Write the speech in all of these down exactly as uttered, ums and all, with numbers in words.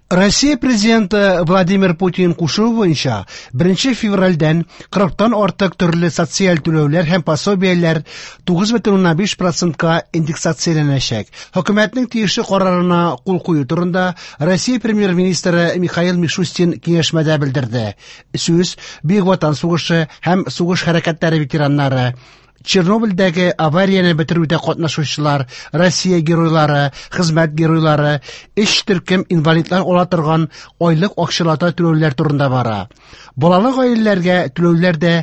Россия президенты Владимир Путин кушуы буенча беренче февральдән кырыктан артык төрле социаль түләүләр һәм пособиеләр тугыз бөтен уннан биш процентка индексацияләнәчәк. Хөкүмәтнең тиешле карарына кул кую турында Россия премьер-министры Михаил Мишустин киңәшмәдә белдерде. Сүз Бөек Ватан сугышы һәм сугыш хәрәкәтләре ветераннары, Чернобыльдәге аварияне бетерүдә катнашучылар, Россия геройлары, хезмәт геройлары, өч төркем инвалидлар ала торган айлык акчалата түләүләр турында бара. Балалы гаиләләргә түләүләр дә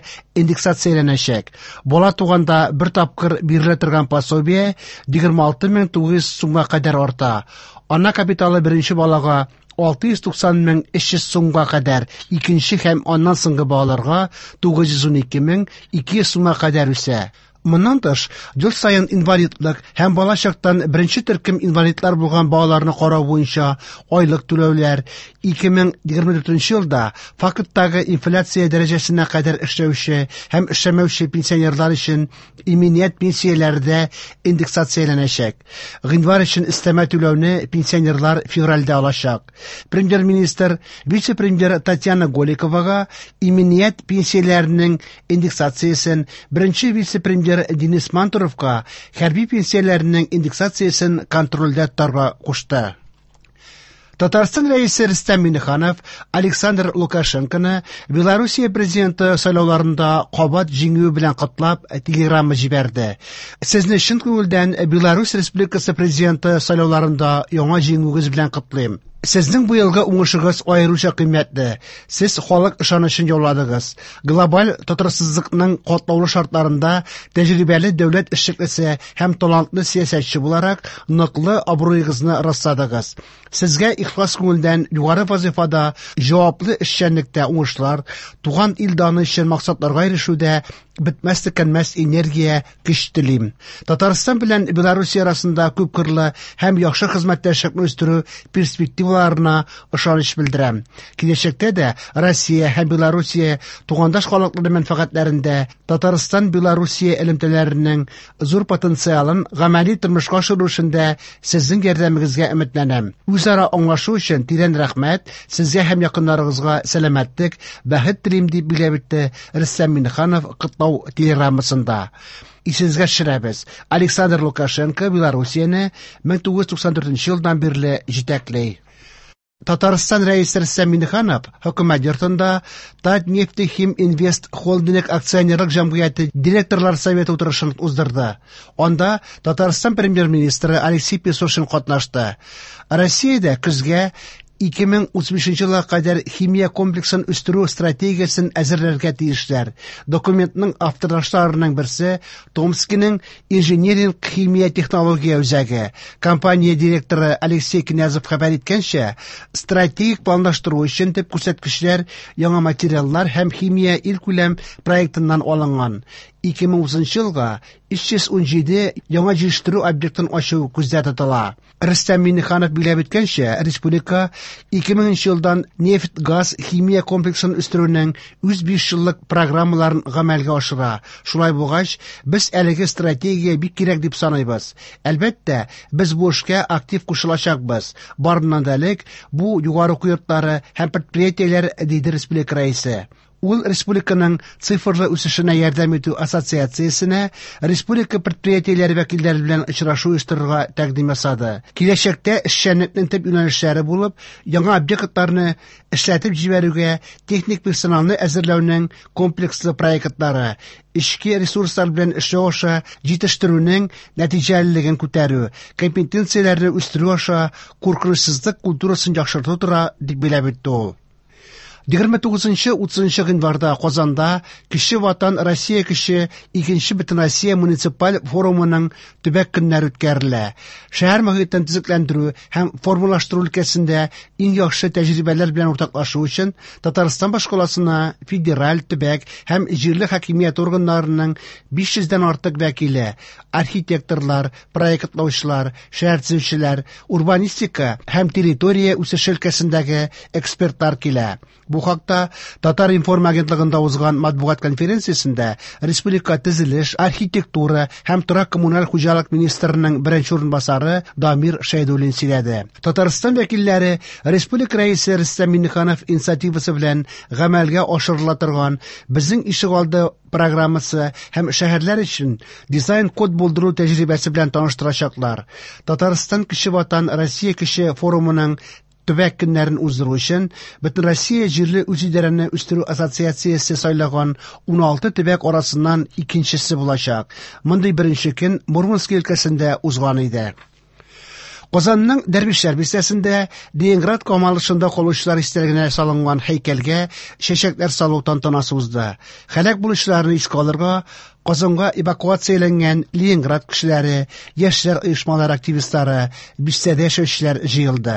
индексацияләнәчәк. Бала туганда бер тапкыр бирелә торган пособие егерме алты мең тугыз йөз сумга кадәр арта. Ана капиталы беренче балага алты йөз туксан мең өч йөз сумга кадәр, икенче һәм аннан соңгы балаларга тугыз йөз ун ике мең ике йөз сумга кадәр үсә. Моннан тыш, ел саен инвалидлык һәм бала чактан беренче төркем инвалидлар булган балаларны карау буенча айлык түләүләр ике мең егерме дүртенче елда факттагы инфляция дәрәҗәсенә кадәр эшләүче һәм эшләмәүче пенсионерлар өчен иминият пенсияләре дә индексацияләнәчәк. Гыйнвар өчен өстәмә түләүне пенсионерлар февральдә алачак. Премьер-министр, вице-премьер Татьяна Голиковага иминият пенсияләренең индексациясен, беренче вице-премьер Денис Мантуровка хәрби пенсияләренең индексациясен контрольдә тотарга кушты. Татарстан рәисе Рөстәм Миңнеханов Александр Лукашенконы Белоруссия президенты сайлауларында кабат җиңүе белән котлап телеграмма җибәрде. Сезне чын күңелдән Беларусь Республикасы президенты сайлауларында яңа җиңүегез белән котлыйм. Сезнең быелгы уңышыгыз аеруча кыйммәтле. Сез халык ышанычын яуладыгыз. Глобаль тотрыксызлыкның катлаулы шартларында тәҗрибәле дәүләт эшлеклесе һәм талантлы сәясәтче буларак ныклы абруегызны расладыгыз. Сезгә ихлас күңелдән югары вазифада җаваплы эшчәнлектә уңышлар, туган ил даны өчен максатларга ирешүдә бетмәс төкәнмәс энергия, көч телим. Татарстан белән Белоруссия арасында күпкырлы һәм яхшы хезмәттәшлекне үстерү перспективаларына ышаныч белдерәм. Киләчәктә дә Россия һәм Белоруссия тугандаш халыклары мәнфәгатьләрендә Татарстан Белоруссия элемтәләренең зур потенциалын гамәли тормышка ашыру эшендә сезнең ярдәмегезгә өметләнәм. Үзара аңлашу өчен тирән рәхмәт, сезгә һәм якыннарыгызга сәламәтлек, бәхет телим, дип билгеләп үтте Рөстәм Миңнеханов котлау телеграммасында. Исегезгә төшерәбез, Александр Лукашенко Белоруссияне мең тугыз йөз туксан дүртенче елдан бирле җитәкли. Татарстан рәисе Рөстәм Миңнеханов хөкүмәт йортында Татнефтехиминвест холдинг акционерлык җәмгыяте директорлар советы утырышын уздырды. Анда Татарстан премьер-министры Алексей Песошин катнашты. Россиядә көзгә ике мең утыз бишенче елга кадәр химия комплексын үстерү стратегиясен әзерләргә тиешләр. Документның авторларының берсе Томскиның инжиниринг химия технология үзәге. Компания директоры Алексей Князев хәбәр иткәнчә, стратегик планлаштыру өчен төп күрсәткечләр яңа материаллар һәм химия илкүләм проектыннан алынган. Ике мең утызынчы елга өч йөз ун җиде яңа җитештерү объектын ачу күздә тотыла. Рөстәм Миңнеханов билгеләп үткәнчә, республика ике меңенче елдан нефть-газ химия комплексын үстерүнең үз биш еллык программаларын гамәлгә ашыра. Шулай булгач, без әлеге стратегия бик кирәк дип саныйбыз. Әлбәттә, без бу эшкә актив кушылачакбыз. Барыннан да элек, бу югары уку йортлары һәм предприятиеләр, диде республика рәисе. Ул республиканың цифрлы үсешенә ярдәм итү ассоциациясенә республика предприятиеләре вәкилләре белән очрашу оештырырга тәкъдим ясады. Киләчәктә эшчәнлекнең төп юнәлешләре булып, яңа объектларны эшләтеп җибәрүгә техник персоналны әзерләүнең комплекслы проектлары, эчке ресурслар белән эшләү аша җитештерүнең нәтиҗәлелеген күтәрү, компетенцияләрне үстерү аша куркынычсызлык культурасын яхшырту тора, дип билгеләп үтте ул. Егерме тугызынчы утызынчы гыйнварда Казанда Кече Ватан Россия кеше икенче Бөтенроссия муниципаль форумының төбәк көннәре үткәрелә. Шәһәр мөхитен төзекләндерү һәм формалаштыру өлкәсендә иң яхшы тәҗрибәләр белән уртаклашу өчен Татарстан башкаласына федераль, төбәк һәм җирле хакимият органнарының биш йөздән артык вәкиле, архитекторлар, проектлаучылар, шәһәр төзүчеләр, урбанистика һәм территория үсеше өлкәсендәге экспертлар килә. Бу хакта Татар-информ агентлыгында узган матбугат конференциясендә республика төзелеш, архитектура һәм торак-коммуналь хуҗалык министрының беренче урынбасары Дамир Шәйдуллин сөйләде. Татарстан вәкилләре республика рәисе Рөстәм Миңнеханов инициативасы белән гамәлгә ашырыла торган «Безнең ишегалды» программасы һәм шәһәрләр өчен дизайн-код булдыру тәҗрибәсе белән таныштырачаклар. Татарстан Кече Ватан Россия Кече форумының төбәк көннәрен уздыру өчен Бөтенроссия җирле үзидарәне үстерү ассоциациясе сайлаган уналты төбәк арасыннан икенчесе булачак. Мондый беренче көн Мурманск өлкәсендә узган иде. Казанның Дәрвишләр бистәсендә Ленинград камалышында калучылар истәлегенә салынган һәйкәлгә чәчәкләр салу тантанасы узды. Һәлак булучыларны искә алырга Казанга эвакуацияләнгән Ленинград кешеләре, яшьләр оешмалары активистлары, бистәдә яшәүчеләр җыелды.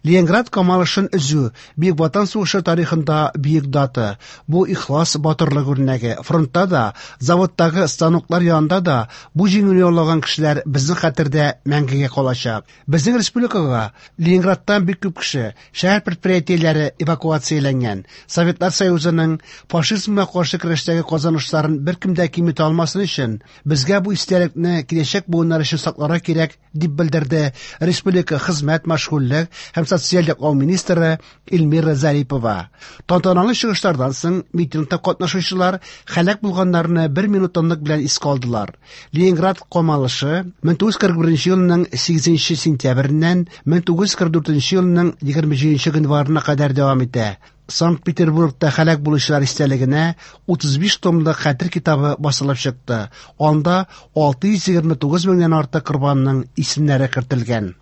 Ленинград камалышын өзү Бөек Ватан сугышы тарихында бөек дата. Бу ихлас батырлык үрнәге. Фронтта да, заводтагы станоклар янында да бу җиңүне яулаган кешеләр безнең хәтердә мәңгегә калачак. Безнең республикага Ленинградтан бик күп кеше, шәһәр предприятиеләре эвакуацияләнгән. Советлар Союзының фашизмга каршы көрәштәге казанышларын беркем дә киметә алмасын өчен безгә бу истәлекне киләчәк буыннар өчен сакларга кирәк, дип белдерде республика хезмәт, мәшгульлек һәм социаль яклау министры Эльмира Зарипова. Тантаналы чыгышлардан соң митингта катнашучылар һәлак булганнарны бер минут тынлык белән искә алдылар. Ленинград камалышы мең тугыз йөз кырык беренче елның сигезенче сентябреннән мең тугыз йөз кырык дүртенче елның егерме җиденче гыйнварына кадәр дәвам итә. Санкт-Петербургта һәлак булучылар истәлегенә утыз биш томлык хәтер китабы басылып чыкты. Анда алты йөз егерме тугыз меңнән артык корбанның исемнәре кертелгән.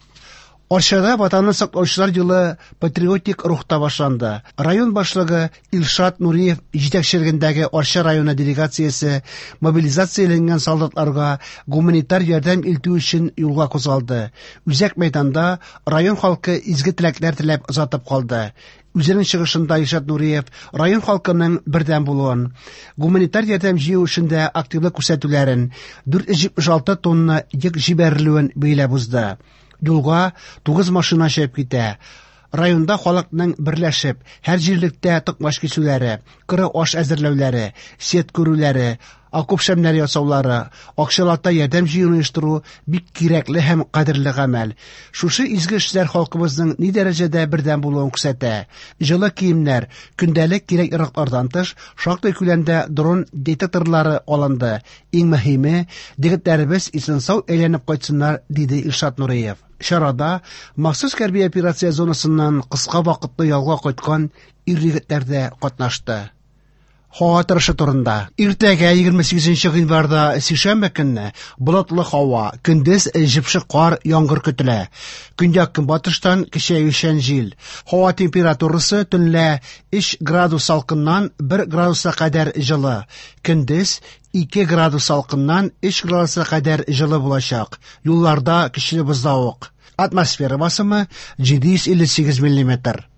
Арчада Ватанны саклаучылар елы патриотик рухта башланды. Район башлыгы Илшат Нуриев җитәкчелегендәге Арча районы делегациясе мобилизацияләнгән солдатларга гуманитар ярдәм илтү өчен юлга кузгалды. Үзәк мәйданда район халкы изге теләкләр теләп озатып калды. Үзенең чыгышында Илшат Нуриев район халкының бердәм булуын, гуманитар ярдәм җыю эшендә активлык күрсәтүләрен, дүрт йөз җитмеш алты тонна йөк җибәрелүен бәйләп узды. Юлга тугыз машина чыгып китә. Районда халыкның берләшеп, һәр җирлектә токмач кисүләре, коры аш әзерләүләре, сет күрүләре, окоп шәмнәре ясаулары, акчалата ярдәм җыюны оештыру бик кирәкле һәм кадерле гамәл. Шушы изге эшләр халкыбызның ни дәрәҗәдә бердәм булуын күрсәтә. Җылы киемнәр, көндәлек кирәк-яраклардан тыш, шактый күләмдә дрон детекторлары алынды. Иң мөһиме, егетләребез исән-сау әйләнеп кайтсыннар, диде Илшат Нуриев. Чарада махсус хәрби операция зонасыннан кыска вакытлы ялга кайткан ир-егетләр дә катнашты. Һава торышы турында. Иртәгә егерме сигезенче гыйнварда сишәмбе көнне болытлы һава, көндез җепшек кар, яңгыр көтелә. Көньяк-көнбатыштан көчәючән җил. Һава температурасы төнлә өч градус салкыннан бер градуска кадәр җылы. Көндез ике градус салкыннан өч градуска кадәр җылы булачак. Юлларда көчле бозлавык. Атмосфера басымы җиде йөз илле сигез миллиметр.